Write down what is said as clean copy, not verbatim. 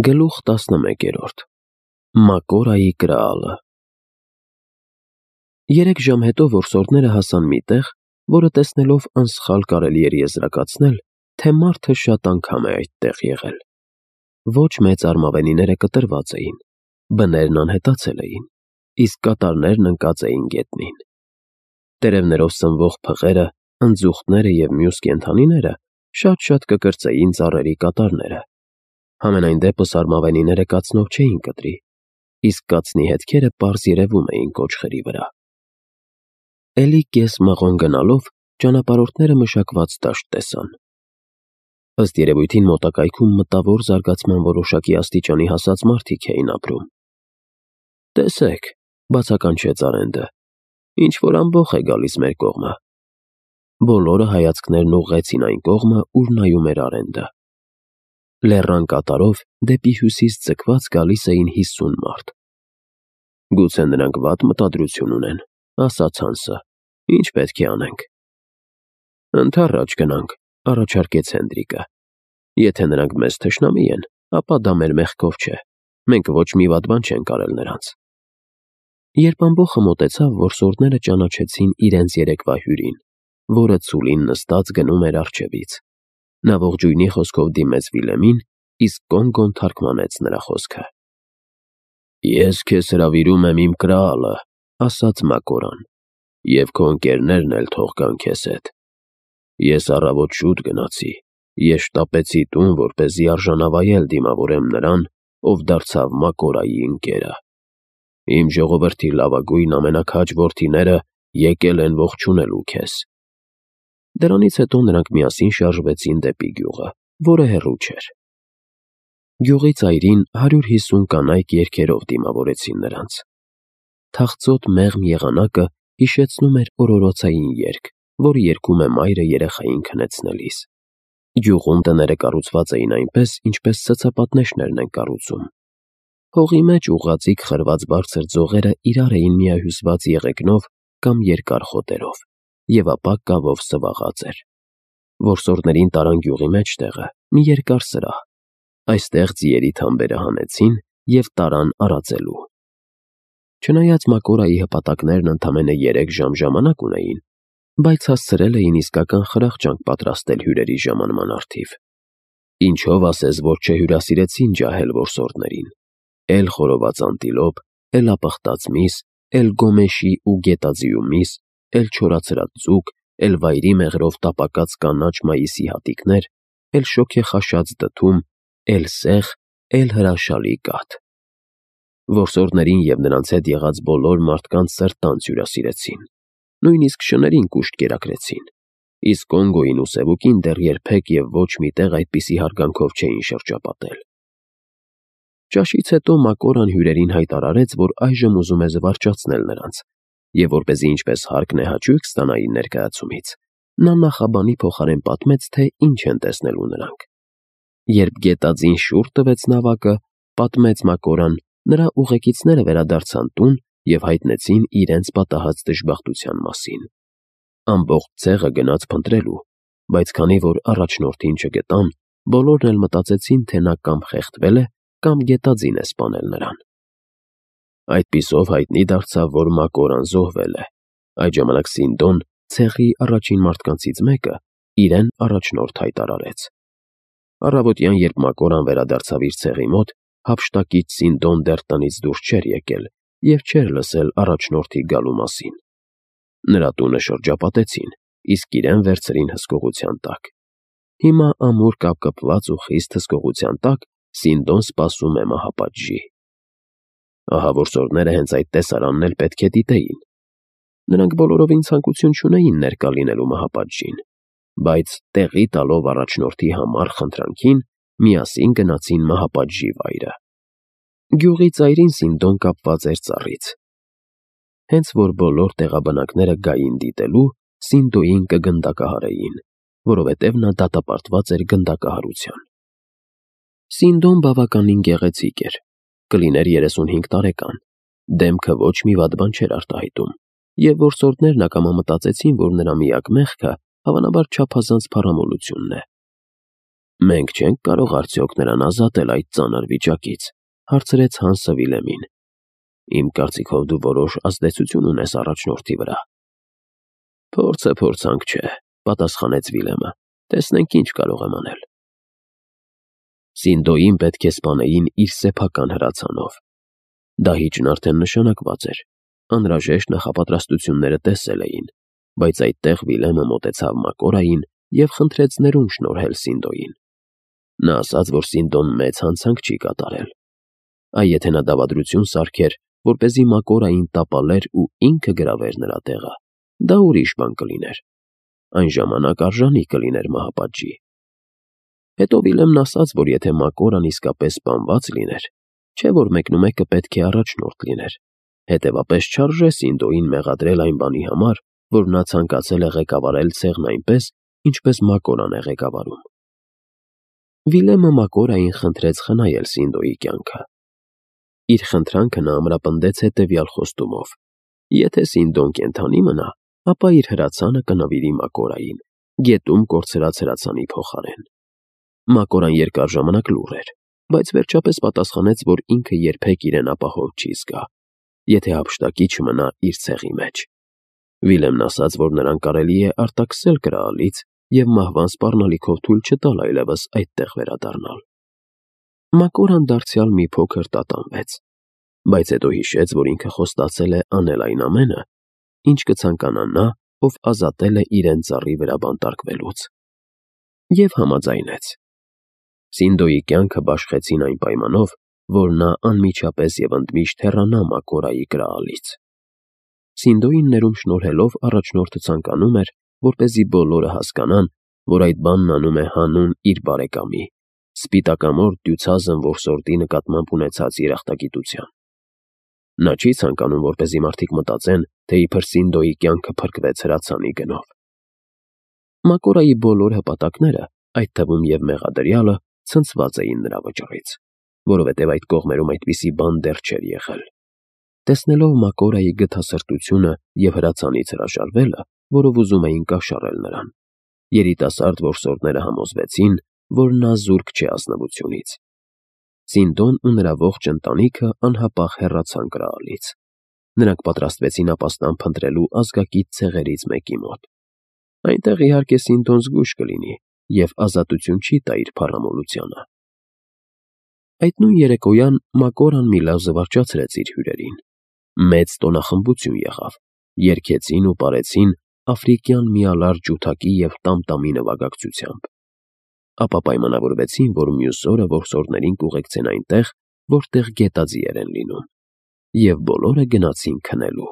Գլուխ 11 Մակորայի կրալը 3 ժամ հետո որսորդները հասան մի տեղ, որը տեսնելով անսխալ կարելի էր եզրակացնել, թե մարդը շատ անգամ է այդտեղ եղել։ Ոչ մեծ արմավենիները կտրված էին, բներն անհետացել էին, իսկ կատարներն ընկած էին գետնին։ Տերևներով սնվող փղերը, ընձուղտները և մյուս կենդանիները շատ կկրծեին ծառերի կատարները։ Համենայն դեպս արմավենիները կացնով չէին կտրի, իսկ կացնի հետքերը պարզ երևում էին կոճղերի վրա։ Էլի կես մղոն գնալով ճանապարհորդները մշակված դաշտ տեսան։ Ըստ երևույթին մոտակայքում մտավոր զարգացման որոշակի աստիճանի հասած մարդիկ էին ապրում։ «Տեսեք», բացականչեց Արենդը, «ինչ-որ ամբոխ է գալիս մեր կողմը»։ Բոլորը հայացքներն ուղղեցին այն կողմը, ուր նայում էր Արենդը։ Լեռան կատարով դեպի հյուսիս ձգված գալիս էին 50 մարդ։ «Գուցե նրանք վատ մտադրություն ունեն», ասաց Հանսը, «ինչ պետք է անենք»։ «Ընդառաջ գնանք», առաջարկեց Հենդրիկը։ «Եթե նրանք մեզ թշնամի են, ապա դա մեր մեղքով չէ, մենք ոչ մի վատ բան չենք արել նրանց»։ Երբ ամբոխը մոտեցավ, որսորդները ճանաչեցին իրենց երեկվա հյուրին, որը ցուլին նստած գնում էր առջևից։ Նա ողջույնի խոսքով դիմեց Վիլեմին, իսկ Կոնգոն թարգմանեց նրա խոսքը։ «Ես քեզ հրավիրում եմ իմ կրալը», ասաց Մակորան, «և քո ընկերներն էլ թող գան քեզ հետ։ Ես առավոտ շուտ գնացի, ես շտապեցի տուն, որպեսզի արժանավայել դիմավորեմ նրան, ով դարձավ Մակորայի ընկերը։ Իմ ժողովրդի լավագույն ամենաքաջ որդիները եկել են ողջունելու քեզ»։ Դրանից հետո նրանք միասին շարժվեցին դեպի գյուղը, որը հեռու չէր։ Գյուղի ծայրին 150 կանայք երգերով դիմավորեցին նրանց։ Թախծոտ մեղմ եղանակը հիշեցնում էր օրորոցային երգ, որը երգում է մայրը երեխային քնեցնելիս։ Գյուղում տները կառուցված էին այնպես, ինչպես ցցապատնեշներն են կառուցում։ Հողի մեջ ուղղաձիգ խրված բարձր ձողերը իրար էին միահյուսված եղեգնով կամ երկար խոտերով, և ապա կավով սվաղած էր։ Որսորդներին տարան գյուղի մեջտեղը, մի երկար սրահ։ Այստեղ ձիերի թամբերը հանեցին և տարան արածելու։ Չնայած Մակորայի հպատակներն ընդամենը 3 ժամ ժամանակ ունեին, բայց հասցրել էին իսկական խրախճանք պատրաստել հյուրերի ժամանման առթիվ։ Ինչով ասես, որ չհյուրասիրեցին ջահել որսորդներին։ Էլ խորոված անտիլոպ, էլ ապխտած միս, էլ գոմեշի ու գետաձիու միս, էլ չորացրած ձուկ, էլ վայրի մեղրով տապակած կանաչ մայիսի հատիկներ, էլ շոգեխաշած դդում, էլ սեղ, էլ հրաշալի կաթ։ Որսորդներին և նրանց հետ եղած բոլոր մարդկանց սրտանց հյուրասիրեցին։ Նույնիսկ շներին կուշտ կերակրեցին, իսկ Կոնգոյին ու Սևուկին դեռ երբեք և ոչ մի տեղ այդպիսի հարգանքով չէին շրջապատել։ Ճաշից հետո Մակորան հյուրերին հայտարարեց, որ այժմ ուզում է զվարճացնել նրանց, և որպեսզի ինչպես հարկն է հաճույք ստանային ներկայացումից, նա նախաբանի փոխարեն պատմեց, թե ինչ են տեսնելու նրանք։ Երբ գետաձին շուռ տվեց նավակը, պատմեց Մակորան, նրա ուղեկիցները վերադարձան տուն և հայտնեցին իրենց պատահած դժբախտության մասին։ Ամբողջ ցեղը գնաց փնտրելու, բայց քանի որ առաջնորդին չգտան, բոլորն էլ մտածեցին, թե նա կամ խեղդվել է, կամ գետաձին է սպանել նրան։ Այդպիսով հայտնի դարձավ, որ Մակորան զոհվել է։ Այդ ժամանակ Սինդոն, ցեղի առաջին մարդկանցից մեկը, իրեն առաջնորդ հայտարարեց։ Առավոտյան, երբ Մակորան վերադարձավ իր ցեղի մոտ, հափշտակից Սինդոն դեռ տնից դուրս չէր եկել և չէր լսել առաջնորդի գալու մասին։ Նրա տունը շրջապատեցին, իսկ իրեն վերցրին հսկողության տակ։ Հիմա ամուր կապկպված ու խիստ հսկողության տակ Սինդոն սպասում է մահապատժի։ Ահա որսորդները հենց այդ տեսարանն էլ պետք է դիտեին։ Նրանք բոլորովին ցանկություն չունեին ներկա լինելու մահապատժին, բայց տեղի տալով առաջնորդի համառ խնդրանքին, միասին գնացին մահապատժի վայրը։ Գյուղի ծայրին Սինդոն կապված էր ծառից։ Հենց որ բոլոր տեղաբնակները գային դիտելու, Սինդոյին կգնդակահարեին, որովհետև նա դատապարտված էր գնդակահարության։ Սինդոն բավականին գեղեցիկ էր, կլիներ 35 տարեկան, դեմքը ոչ մի վատ բան չէր արտահայտում, և որսորդներն ակամա մտածեցին, որ նրա միակ մեղքը հավանաբար չափազանց փառամոլությունն է։ Մենք չենք կարող արդյոք նրան ազատել այդ ծանր վիճակից, հարցրեց Հանսը Վիլեմին։ Իմ կարծիքով դու որոշ ազդեցություն ունես առաջնորդի վրա։ Փորձը փորձանք չէ, պատասխանեց Վիլեմը։ Տեսնենք ինչ կարող եմ անել։ Սինդոյին պետք է սպանեին իր սեփական հրացանով։ Դահիճն արդեն նշանակված էր։ Անհրաժեշտ նախապատրաստությունները տեսել էին, բայց այդտեղ Վիլեմը մոտեցավ Մակորային և խնդրեց ներում շնորհել Սինդոյին։ Նա ասաց, որ Սինդոն մեծ հանցանք չի կատարել։ Այ եթե նա դավադրություն սարքեր, որպեսզի Մակորային տապալեր ու ինքը գրավեր նրա տեղը, դա ուրիշ բան կլիներ։ Այն ժամանակ արժանի կլիներ մահապատժի։ Հետո Վիլեմն ասաց, որ եթե Մակորան իսկապես սպանված լիներ, չէ որ մեկնումեկը պետք է առաջնորդ լիներ, հետևապես չարժե Սինդոյին մեղադրել այն բանի համար, որ նա ցանկացել է ղեկավարել ցեղն այնպես, ինչպես Մակորան է ղեկավարում։ Վիլեմը Մակորային խնդրեց խնայել Սինդոյի կյանքը։ Իր խնդրանքը նա ամրապնդեց հետևյալ խոստումով. եթե Սինդոն կենդանի մնա, ապա իր հրացանը կնվիրի Մակորային, գետում կորցրած հրացանի փոխարեն։ Մակորան երկար ժամանակ լուռ էր, բայց վերջապես պատասխանեց, որ ինքը երբեք իրեն ապահով չի զգա, եթե հափշտակի չմնա իր ցեղի մեջ։ Վիլեմն ասաց, որ նրան կարելի է արտաքսել կրալից և մահվան սպառնալիքով թույլ չտալ այլևս այդտեղ վերադառնալ։ Մակորան դարձյալ մի փոքր տատանվեց, բայց հետո հիշեց, որ ինքը խոստացել է անել այն ամենը, ինչ կցանկանա նա, ով ազատել է իրեն ծառի վրա բանտարկվելուց, և համաձայնեց։ Սինդոյի կյանքը բաշխեցին այն պայմանով, որ նա անմիջապես և ընդմիշտ հեռանա Մակորայի կրալից։ Սինդոյին ներում շնորհելով առաջնորդը ցանկանում էր, որպեսզի բոլորը հասկանան, որ այդ բանն անում է հանուն իր բարեկամի, սպիտակամորթ դյուցազն որսորդի նկատմամբ ունեցած երախտագիտության։ Նա չի ցանկանում, որպեսզի մարդիկ մտածեն, թե իբր Սինդոյի կյանքը փրկվեց հրացանի գնով։ Մակորայի բոլոր հպատակները, այդ թվում և մեղադրյալը, ցնցված էին նրա վճռից, որովհետև այդ կողմերում այդպիսի բան դեռ չէր եղել։ Տեսնելով Մակորայի գթասրտությունը և հրացանից հրաժարվելը, որով ուզում էին կաշառել նրան, երիտասարդ որսորդները համոզվեցին, որ նա զուրկ չէ ազնվությունից։ Սինդոն ու նրա ողջ ընտանիքը անհապաղ հեռացան կրալից։ Նրանք պատրաստվեցին ապաստան փնտրելու ազգակից ցեղերից մեկի մոտ։ Այնտեղ իհարկե Սինդոն զգույշ կլինի և ազատություն չի տա իր փառամոլությանը։ Այդ նույն երեկոյան Մակորան մի լավ զվարճացրեց իր հյուրերին։ Մեծ տոնախմբություն եղավ, երգեցին ու պարեցին աֆրիկյան միալար ջութակի և տամ-տամի նվագակցությամբ։ Ապա պայմանավորվեցին, որ մյուս օրը որսորդներին կուղեկցեն այնտեղ, որտեղ գետաձիեր են լինում, և բոլորը գնացին քնելու։